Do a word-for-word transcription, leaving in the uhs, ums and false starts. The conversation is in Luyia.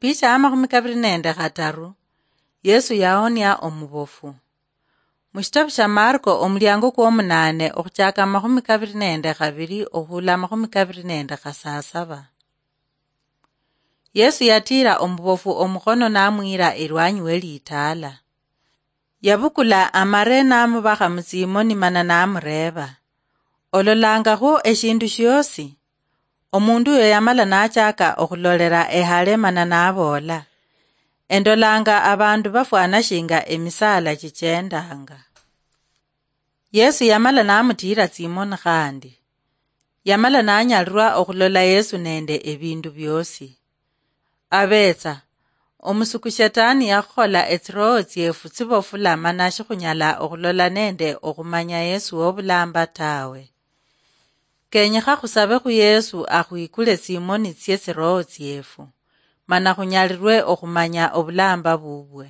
Shicha amakhumi kabiri nende khataru, Yesu yahonia omubofu. Mushitabu sha Marko, omuliango kwomunane, okhuchaka amakhumi kabiri nende khabiri okhula amakhumi kabiri nende khasasaba. Yesu yatira omubofu omukhono namwira elwanyi we litaala. Yabukula amare namubakha mutsimoni mana namureeba, "Ololangakho eshindu shiosi?" Omundu uyo yamala nachaka okhulolera ehale mana naboola, "Endolanga abandu bafwana shinga emisaala chichendanga." Yesu yamala namutira tsimoni khandi. Yamala nanyalirwa okhulola Yesu nende ebindu biosi. Abetsa, omusuku Shetani yakhukhola etsiroho tsiefu tsibofula mana shikhunyala okhulola nende okhumanya Yesu wobulamba tawe. Kenyekha khusabe khu Yesu akhwikule tsimoni tsie tsiroho tsiefu, mana khunyalirwe okhumanya obulamba bubwe.